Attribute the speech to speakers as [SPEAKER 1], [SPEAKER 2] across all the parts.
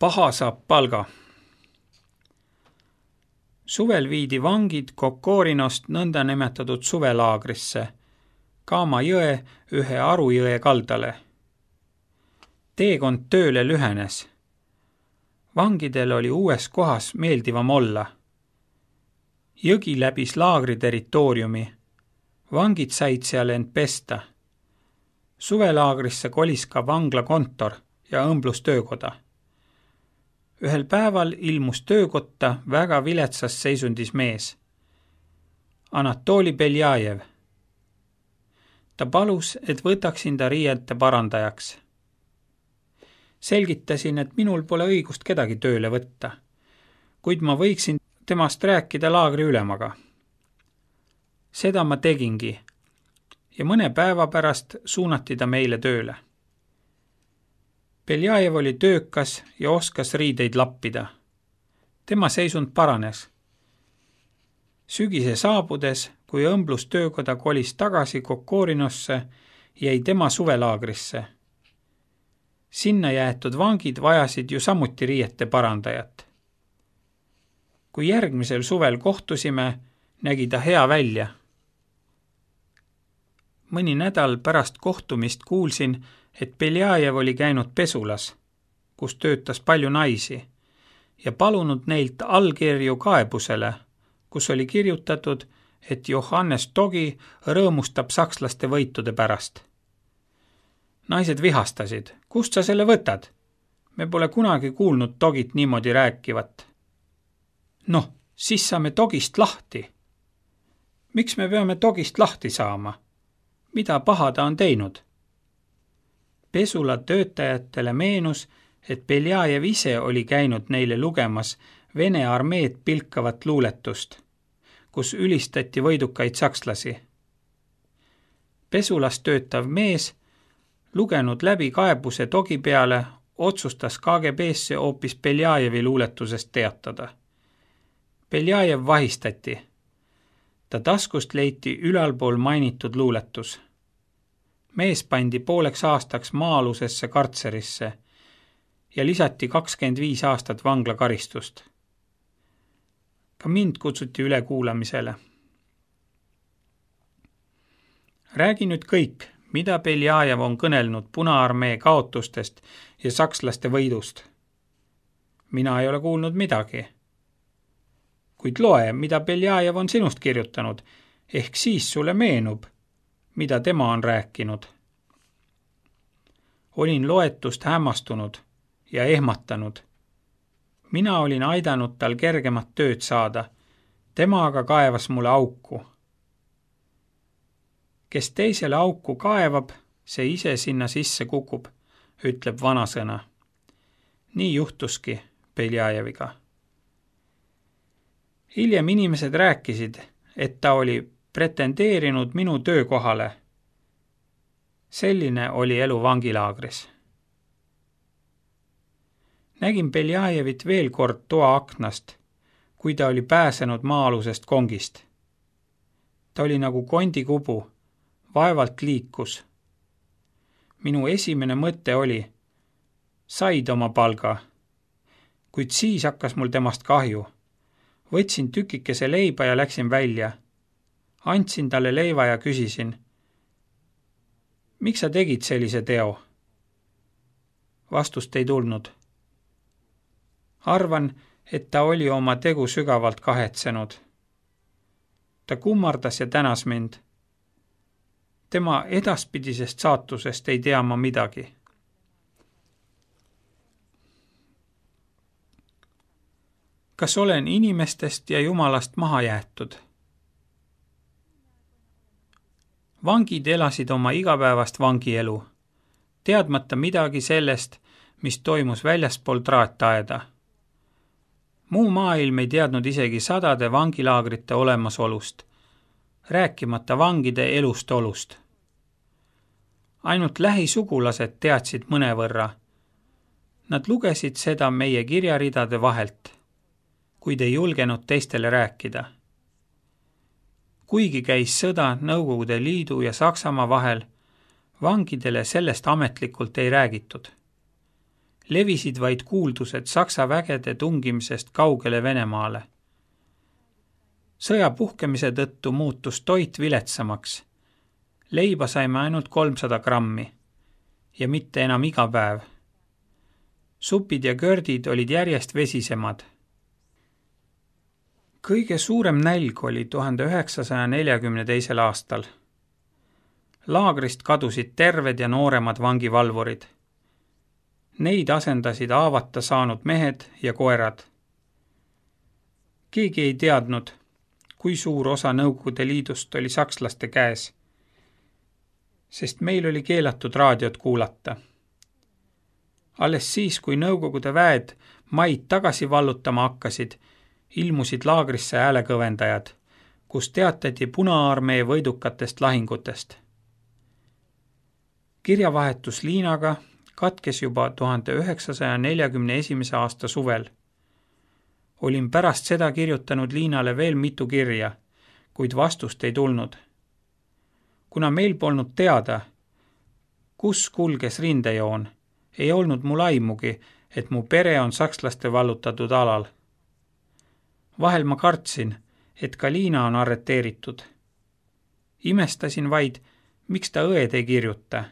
[SPEAKER 1] Paha saab palga. Suvel viidi vangid Kokorinost nõnda nimetatud suvelaagrisse, Kaama jõe ühe Arujõe kaldale. Teekond tööle lühenes. Vangidel oli uues kohas meeldivam olla. Jõgi läbis laagri territooriumi. Vangid said seal end pesta. Suvelaagrisse kolis ka vangla kontor ja õmblustöökoda. Ühel päeval ilmus töökotta väga viletsas seisundis mees. Anatoli Beljajev. Ta palus, et võtaksin ta riiete parandajaks. Selgitasin, et minul pole õigust kedagi tööle võtta, kuid ma võiksin temast rääkida laagri ülemaga. Seda ma tegingi ja mõne päeva pärast suunati ta meile tööle. Beljajev oli töökas ja oskas riideid lappida. Tema seisund paranes. Sügise saabudes, kui õmblustöökoda kolis tagasi Kokorinosse, jäi tema suvelaagrisse. Sinna jäetud vangid vajasid ju samuti riiete parandajat. Kui järgmisel suvel kohtusime, nägi ta hea välja. Mõni nädal pärast kohtumist kuulsin, et Beljajev oli käinud pesulas, kus töötas palju naisi, ja palunud neilt allkirju kaebusele, kus oli kirjutatud, et Johannes Togi rõõmustab sakslaste võitude pärast. Naised vihastasid. Kust sa selle võtad? Me pole kunagi kuulnud Togit niimoodi rääkivat. Noh, siis saame Togist lahti. Miks me peame Togist lahti saama? Mida paha ta on teinud? Pesula töötajatele meenus, et Beljajev ise oli käinud neile lugemas Vene armeed pilkavat luuletust, kus ülistati võidukaid sakslasi. Pesulas töötav mees, lugenud läbi kaebuse Togi peale, otsustas KGB-sse hoopis Beljajevi luuletusest teatada. Beljajev vahistati. Ta taskust leiti ülalpool mainitud luuletus. Mees pandi pooleks aastaks maa-alusesse kartserisse ja lisati 25 aastat vanglakaristust. Ka mind kutsuti üle kuulamisele. Räägi nüüd kõik, mida Beljajev on kõnelnud Punaarmee kaotustest ja sakslaste võidust. Mina ei ole kuulnud midagi. Kuid loe, mida Beljajev on sinust kirjutanud, ehk siis sulle meenub, mida tema on rääkinud. Olin loetust hämmastunud ja ehmatanud. Mina olin aidanud tal kergemat tööd saada, tema aga kaevas mulle auku. Kes teisele auku kaevab, see ise sinna sisse kukub, ütleb vanasõna. Nii juhtuski Beljajeviga. Hiljem inimesed rääkisid, et ta oli pretendeerinud minu töökohale. Selline oli elu vangilaagris. Nägin Beljajevit veel kord toa aknast, kui ta oli pääsenud maa-alusest kongist. Ta oli nagu kondikubu, vaevalt liikus. Minu esimene mõte oli, said oma palga, kuid siis hakkas mul temast kahju. Võtsin tükikese leiba ja läksin välja. Andsin talle leiva ja küsisin, miks sa tegid sellise teo? Vastust ei tulnud. Arvan, et ta oli oma tegu sügavalt kahetsenud. Ta kummardas ja tänas mind. Tema edaspidisest saatusest ei tea ma midagi. Kas olen inimestest ja Jumalast maha jäetud? Vangid elasid oma igapäevast vangielu, teadmata midagi sellest, mis toimus väljaspool traataeda. Muu maailm ei teadnud isegi sadade vangilaagrite olemasolust, rääkimata vangide elust olust. Ainult lähisugulased teadsid mõnevõrra. Nad lugesid seda meie kirjaridade vahelt, kuid ei julgenud teistele rääkida. Kuigi käis sõda Nõukogude Liidu ja Saksamaa vahel, vangidele sellest ametlikult ei räägitud. Levisid vaid kuuldused Saksa vägede tungimisest kaugele Venemaale. Sõja puhkemise tõttu muutus toit viletsamaks. Leiba saime ainult 300 grammi ja mitte enam iga päev. Supid ja kördid olid järjest vesisemad. Kõige suurem nälg oli 1942. aastal. Laagrist kadusid terved ja nooremad vangivalvurid. Neid asendasid haavata saanud mehed ja koerad. Keegi ei teadnud, kui suur osa Nõukogude Liidust oli sakslaste käes, sest meil oli keelatud raadiot kuulata. Alles siis, kui Nõukogude väed maid tagasi vallutama hakkasid, ilmusid laagrisse häälekõvendajad, kus teatati Punaarmee võidukatest lahingutest. Kirjavahetus Liinaga katkes juba 1941. aasta suvel. Olin pärast seda kirjutanud Liinale veel mitu kirja, kuid vastust ei tulnud. Kuna meil polnud teada, kus kulges rindejoon, ei olnud mul aimugi, et mu pere on sakslaste vallutatud alal. Vahel ma kartsin, et ka Liina on arreteeritud. Imestasin vaid, miks ta õed ei kirjuta.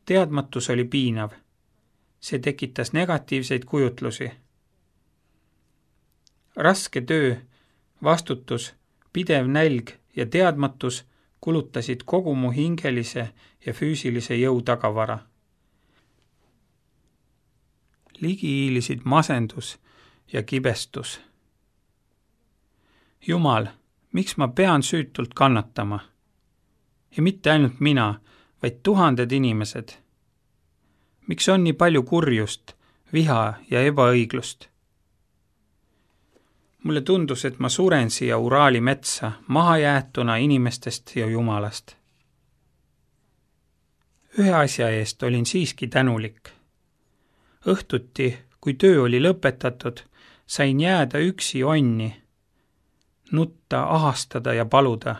[SPEAKER 1] Teadmatus oli piinav. See tekitas negatiivseid kujutlusi. Raske töö, vastutus, pidev nälg ja teadmatus kulutasid kogu mu hingelise ja füüsilise jõu tagavara. Ligi hiilisid masendus ja kibestus. Jumal, miks ma pean süütult kannatama? Ja mitte ainult mina, vaid tuhanded inimesed. Miks on nii palju kurjust, viha ja ebaõiglust? Mulle tundus, et ma suren siia Uraali metsa, mahajäetuna inimestest ja Jumalast. Ühe asja eest olin siiski tänulik. Õhtuti, kui töö oli lõpetatud, sain jääda üksi onni, nutta, ahastada ja paluda.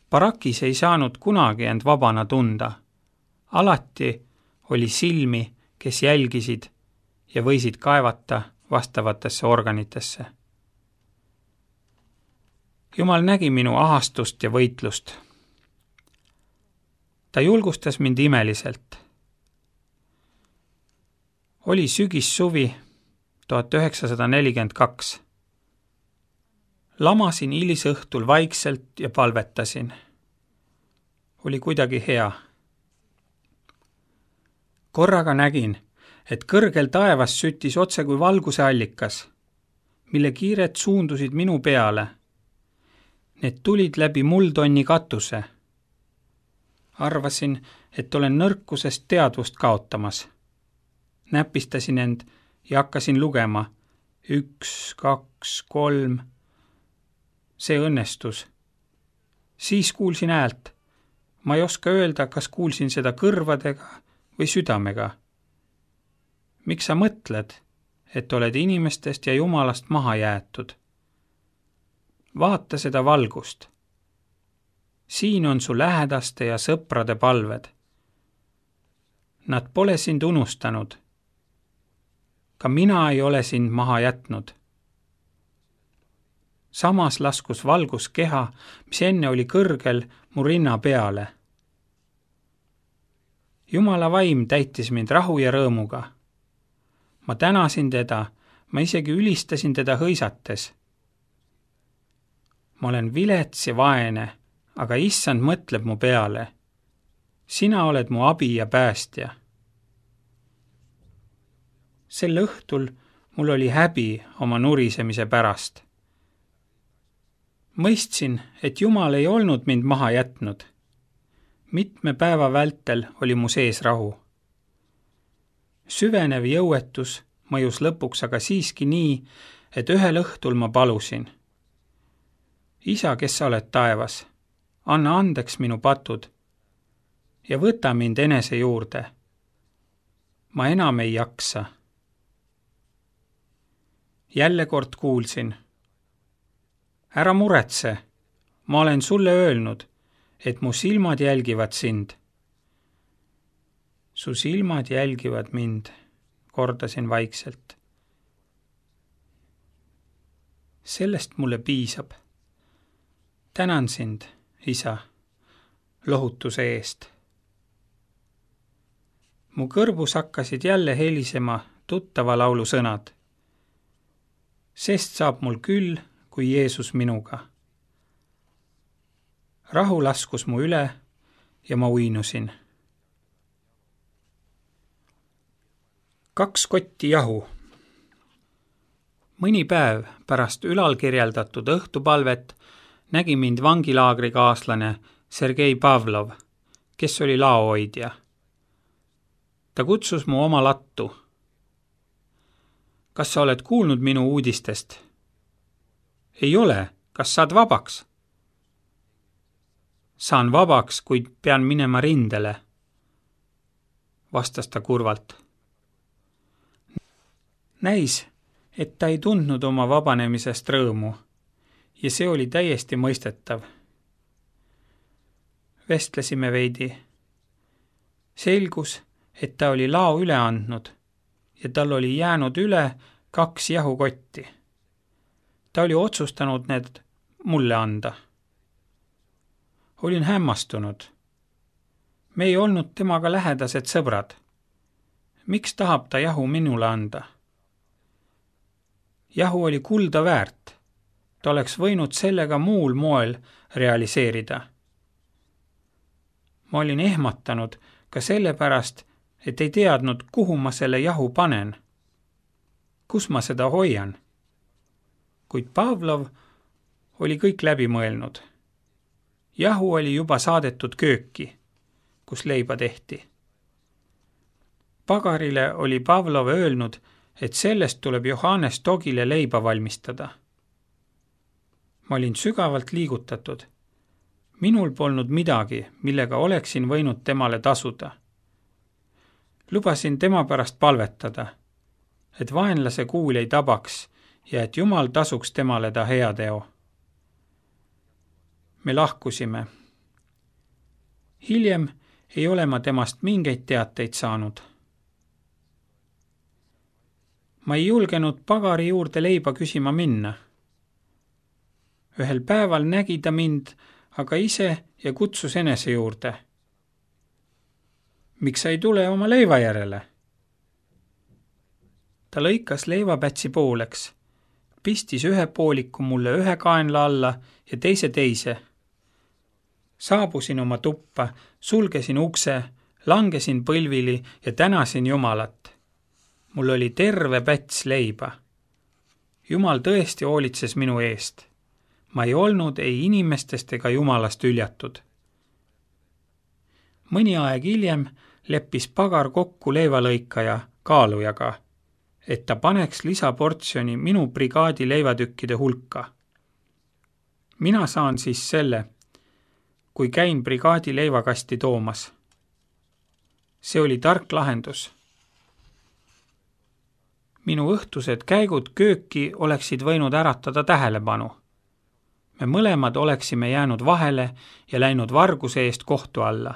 [SPEAKER 1] Barakis ei saanud kunagi end vabana tunda. Alati oli silmi, kes jälgisid ja võisid kaevata vastavatesse organitesse. Jumal nägi minu ahastust ja võitlust. Ta julgustas mind imeliselt. Oli sügissuvi 1942. Lamasin hilisõhtul vaikselt ja palvetasin. Oli kuidagi hea. Korraga nägin, et kõrgel taevas süttis otse kui valguse allikas, mille kiired suundusid minu peale. Need tulid läbi muldonni katuse. Arvasin, et olen nõrkusest teadvust kaotamas. Näpistasin end ja hakkasin lugema. 1, 2, 3. See õnnestus. Siis kuulsin häält. Ma ei oska öelda, kas kuulsin seda kõrvadega või südamega. Miks sa mõtled, et oled inimestest ja Jumalast maha jäetud? Vaata seda valgust. Siin on su lähedaste ja sõprade palved. Nad pole sind unustanud. Ka mina ei ole sind maha jätnud. Samas laskus valgus keha, mis enne oli kõrgel mu rinna peale. Jumala vaim täitis mind rahu ja rõõmuga. Ma tänasin teda, ma isegi ülistasin teda hõisates. Ma olen vilets ja vaene, aga issand mõtleb mu peale. Sina oled mu abi ja päästja. Sel õhtul mul oli häbi oma nurisemise pärast. Mõistsin, et Jumal ei olnud mind maha jätnud. Mitme päeva vältel oli mu sees rahu. Süvenev jõuetus mõjus lõpuks aga siiski nii, et ühel õhtul ma palusin. Isa, kes sa oled taevas, anna andeks minu patud ja võta mind enese juurde. Ma enam ei jaksa. Jälle kord kuulsin. Ära muretse, ma olen sulle öelnud, et mu silmad jälgivad sind. Su silmad jälgivad mind, kordasin vaikselt. Sellest mulle piisab. Tänan sind, isa, lohutuse eest. Mu kõrvus hakkasid jälle helisema tuttava laulu sõnad. Sest saab mul küll, kui Jeesus minuga. Rahu laskus mu üle ja ma uinusin. 2 kotti jahu. Mõni päev pärast ülalkirjeldatud õhtupalvet nägi mind vangilaagri kaaslane Sergei Pavlov, kes oli laohoidja. Ta kutsus mu oma lattu. Kas sa oled kuulnud minu uudistest? Ei ole. Kas saad vabaks? Saan vabaks, kuid pean minema rindele, vastas ta kurvalt. Näis, et ta ei tundnud oma vabanemisest rõõmu ja see oli täiesti mõistetav. Vestlesime veidi. Selgus, et ta oli lao üle andnud ja tal oli jäänud üle 2 jahukotti. Ta oli otsustanud need mulle anda. Olin hämmastunud. Me ei olnud temaga lähedased sõbrad. Miks tahab ta jahu minule anda? Jahu oli kulda väärt. Ta oleks võinud sellega muul moel realiseerida. Ma olin ehmatanud ka sellepärast, et ei teadnud, kuhu ma selle jahu panen. Kus ma seda hoian? Kuid Pavlov oli kõik läbi mõelnud. Jahu oli juba saadetud kööki, kus leiba tehti. Pagarile oli Pavlov öelnud, et sellest tuleb Johannes Togile leiba valmistada. Ma olin sügavalt liigutatud. Minul polnud midagi, millega oleksin võinud temale tasuda. Lubasin tema pärast palvetada, et vaenlase kuul ei tabaks ja et Jumal tasuks temale ta heateo. Me lahkusime. Hiljem ei ole ma temast mingeid teateid saanud. Ma ei julgenud pagari juurde leiba küsima minna. Ühel päeval nägi ta mind aga ise ja kutsus enese juurde. Miks sa ei tule oma leiva järele? Ta lõikas leivapätsi pooleks, pistis ühe pooliku mulle ühe kaenla alla ja teise. Saabusin oma tuppa, sulgesin ukse, langesin põlvili ja tänasin Jumalat. Mul oli terve päts leiba. Jumal tõesti hoolitses minu eest. Ma ei olnud ei inimestest ega Jumalast üljatud. Mõni aeg hiljem leppis pagar kokku leivalõikaja kaalujaga, et ta paneks lisaportsjoni minu brigaadi leivatükkide hulka. Mina saan siis selle, kui käin brigaadi leivakasti toomas. See oli tark lahendus. Minu õhtused käigud kööki oleksid võinud äratada tähelepanu. Me mõlemad oleksime jäänud vahele ja läinud varguse eest kohtu alla.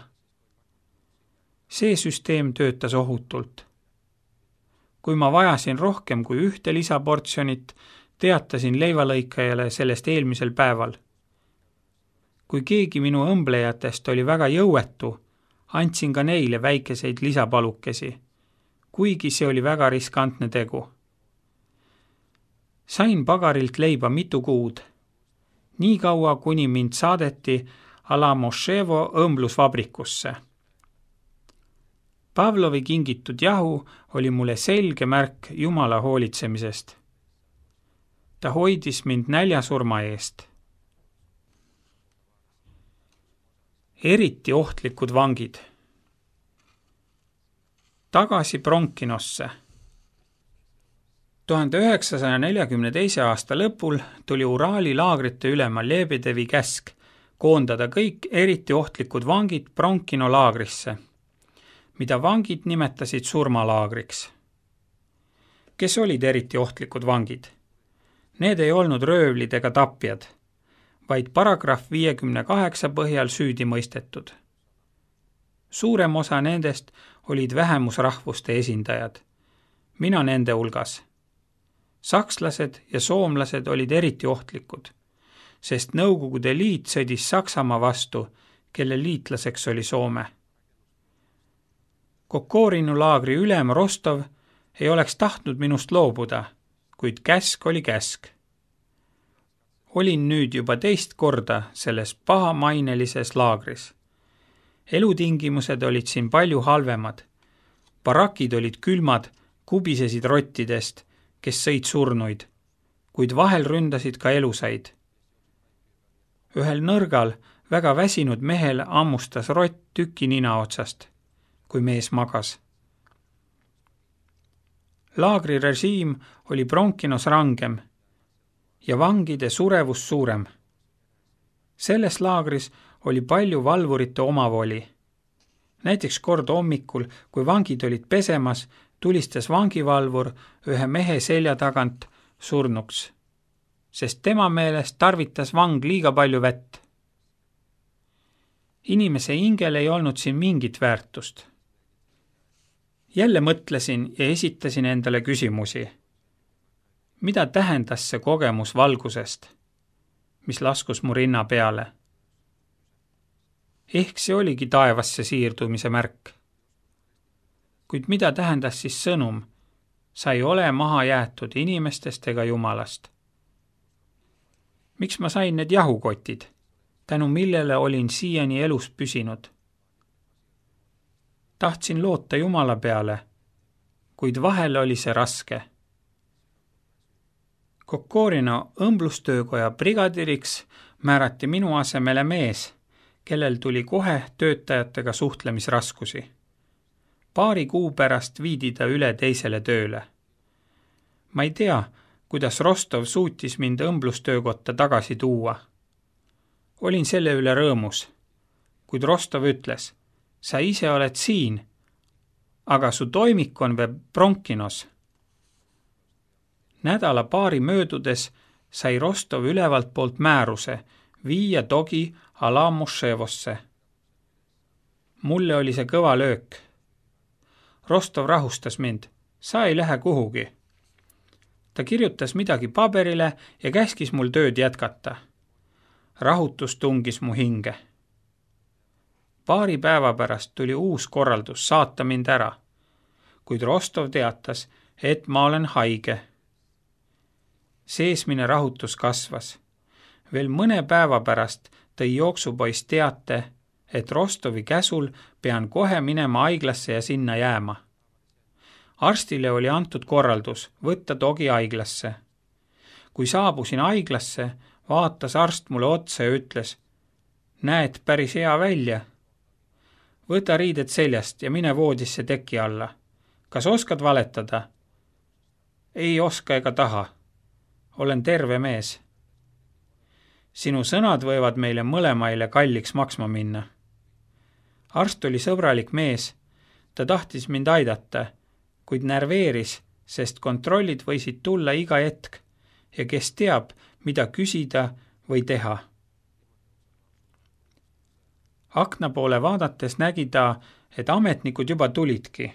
[SPEAKER 1] See süsteem töötas ohutult. Kui ma vajasin rohkem kui 1 lisaportsjonit, teatasin leivalõikajale sellest eelmisel päeval. Kui keegi minu õmblejatest oli väga jõuetu, andsin ka neile väikeseid lisapalukesi, kuigi see oli väga riskantne tegu. Sain pagarilt leiba mitu kuud. Nii kaua, kuni mind saadeti Alamoševo õmblusvabrikusse. Pavlovi kingitud jahu oli mulle selge märk Jumala hoolitsemisest. Ta hoidis mind näljasurma eest. Eriti ohtlikud vangid. Tagasi Bronkinosse. 1942. aasta lõpul tuli Uraali laagrite ülema Lebedevi käsk koondada kõik eriti ohtlikud vangid Bronkino laagrisse, mida vangid nimetasid surmalaagriks. Kes olid eriti ohtlikud vangid? Need ei olnud röövlid ega tapjad, vaid paragrahv 58 põhjal süüdi mõistetud. Suurem osa nendest olid vähemusrahvuste esindajad, mina nende hulgas. Sakslased ja soomlased olid eriti ohtlikud, sest Nõukogude Liit sõdis Saksamaa vastu, kelle liitlaseks oli Soome. Kokorinu laagri ülem Rostov ei oleks tahtnud minust loobuda, kuid käsk oli käsk. Olin nüüd juba teist korda selles pahamainelises laagris. Elutingimused olid siin palju halvemad. Barakid olid külmad, kubisesid rottidest, kes sõid surnuid, kuid vahel ründasid ka elusaid. Ühel nõrgal, väga väsinud mehel ammustas rott tüki nina otsast, kui mees magas. Laagri režiim oli Bronkinos rangem ja vangide surevus suurem. Selles laagris oli palju valvurite omavoli. Näiteks kord hommikul, kui vangid olid pesemas, tulistas vangivalvur ühe mehe selja tagant surnuks, sest tema meelest tarvitas vang liiga palju vett. Inimese hingel ei olnud siin mingit väärtust. Jälle mõtlesin ja esitasin endale küsimusi. Mida tähendas see kogemus valgusest, mis laskus mu rinna peale? Ehk see oligi taevasse siirdumise märk. Kuid mida tähendas siis sõnum? Sa ei ole maha jäetud inimestest ega Jumalast. Miks ma sain need jahukotid, tänu millele olin siiani elus püsinud? Tahtsin loota Jumala peale, kuid vahel oli see raske. Kokorino õmblustöökoja brigadiriks määrati minu asemele mees, kellel tuli kohe töötajatega suhtlemisraskusi. Paari kuu pärast viidi ta üle teisele tööle. Ma ei tea, kuidas Rostov suutis mind õmblustöökotta tagasi tuua. Olin selle üle rõõmus, kuid Rostov ütles, sa ise oled siin, aga su toimik on veel Bronkinos. Nädala paari möödudes sai Rostov ülevalt poolt määruse viia Dogi Alamuševosse. Mulle oli see kõva löök. Rostov rahustas mind, sa ei lähe kuhugi. Ta kirjutas midagi paberile ja käskis mul tööd jätkata. Rahutus tungis mu hinge. Paari päeva pärast tuli uus korraldus saata mind ära, kuid Rostov teatas, et ma olen haige. Seesmine rahutus kasvas. Veel mõne päeva pärast tõi jooksupoiss teate, et Rostovi käsul pean kohe minema haiglasse ja sinna jääma. Arstile oli antud korraldus võtta Dogi haiglasse. Kui saabusin haiglasse, vaatas arst mulle otsa ja ütles, näed päris hea välja. Võta riided seljast ja mine voodisse teki alla. Kas oskad valetada? Ei oska ega taha. Olen terve mees. Sinu sõnad võivad meile mõlemaile kalliks maksma minna. Arst oli sõbralik mees. Ta tahtis mind aidata, kuid närveeris, sest kontrollid võisid tulla iga hetk ja kes teab, mida küsida või teha. Akna poole vaadates nägi ta, et ametnikud juba tulidki.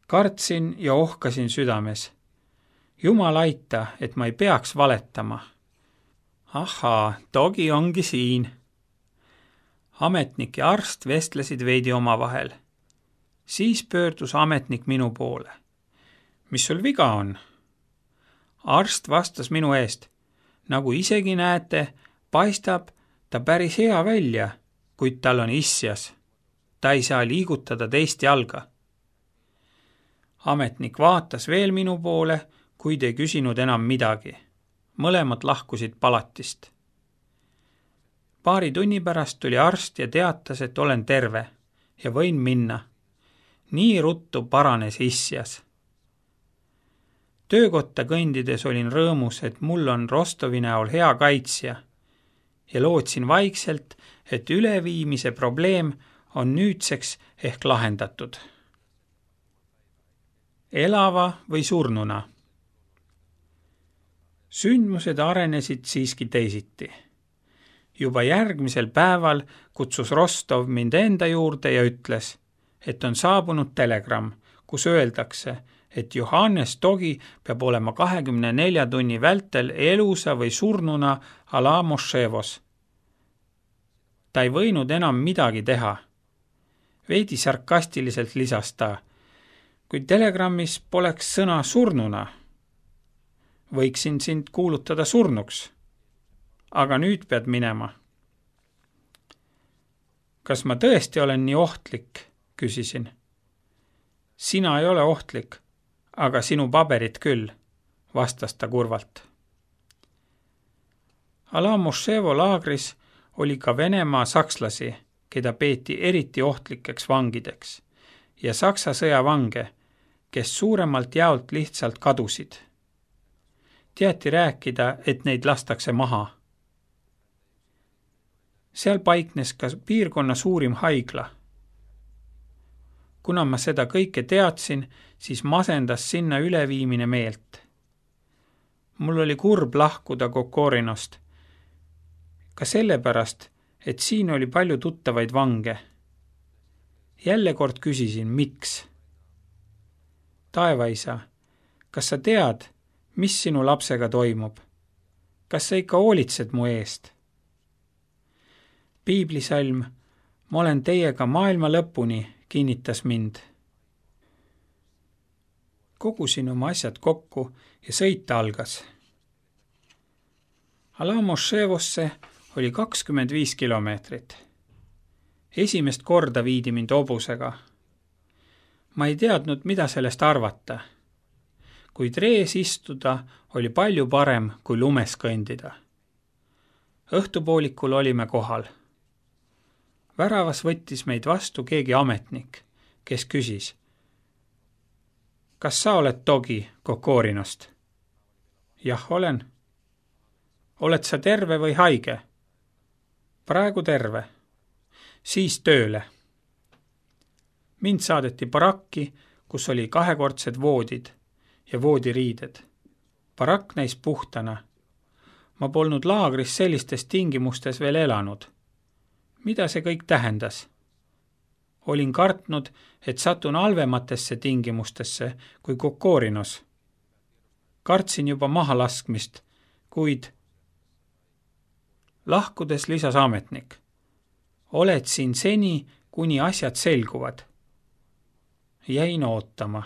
[SPEAKER 1] Kartsin ja ohkasin südames. Jumal aita, et ma ei peaks valetama. Ahaa, Dogi ongi siin. Ametnik ja arst vestlesid veidi omavahel. Siis pöördus ametnik minu poole. Mis sul viga on? Arst vastas minu eest. Nagu isegi näete, paistab ta päris hea välja, kuid tal on isjas. Ta ei saa liigutada teist jalga. Ametnik vaatas veel minu poole, kuid ei küsinud enam midagi. Mõlemad lahkusid palatist. Paari tunni pärast tuli arst ja teatas, et olen terve ja võin minna. Nii ruttu paranes isjas. Töökotta kõndides olin rõõmus, et mul on Rostovi näol hea kaitsja ja lootsin vaikselt, et üleviimise probleem on nüüdseks ehk lahendatud. Elava või surnuna? Sündmused arenesid siiski teisiti. Juba järgmisel päeval kutsus Rostov mind enda juurde ja ütles, et on saabunud telegramm, kus öeldakse, et Johannes Togi peab olema 24 tunni vältel elusa või surnuna Alamoševos. Ta ei võinud enam midagi teha. Veidi sarkastiliselt lisas ta, kui telegrammis poleks sõna surnuna. Võiksin sind kuulutada surnuks, aga nüüd pead minema. Kas ma tõesti olen nii ohtlik, küsisin. Sina ei ole ohtlik, aga sinu paberid küll, vastas ta kurvalt. Alamoševo laagris oli ka Venemaa sakslasi, keda peeti eriti ohtlikeks vangideks, ja Saksa sõjavange, kes suuremalt jaolt lihtsalt kadusid. Teati rääkida, et neid lastakse maha. Seal paiknes ka piirkonna suurim haigla. Kuna ma seda kõike teadsin, siis masendas sinna üleviimine meelt. Mul oli kurb lahkuda Kokorinost, ka sellepärast, et siin oli palju tuttavaid vange. Jälle kord küsisin, miks? Taevaisa, kas sa tead, mis sinu lapsega toimub? Kas sa ikka hoolitsed mu eest? Piiblisalm, ma olen teiega maailma lõpuni, kinnitas mind. Kogusin oma asjad kokku ja sõita algas. Alamoševosse oli 25 kilomeetrit. Esimest korda viidi mind hobusega. Ma ei teadnud, mida sellest arvata. Kuid rees istuda oli palju parem kui lumes kõndida. Õhtupoolikul olime kohal. Väravas võttis meid vastu keegi ametnik, kes küsis, kas sa oled Togi Kokorinost? Jah, olen. Oled sa terve või haige? Praegu terve. Siis tööle. Mind saadeti barakki, kus oli 2-kordsed voodid ja voodiriided. Barakk näis puhtana. Ma polnud laagris sellistes tingimustes veel elanud. Mida see kõik tähendas? Olin kartnud, et satun halvematesse tingimustesse kui Kokorinos. Kartsin juba maha laskmist, kuid lahkudes lisas ametnik. Oled siin seni, kuni asjad selguvad. Jäin ootama.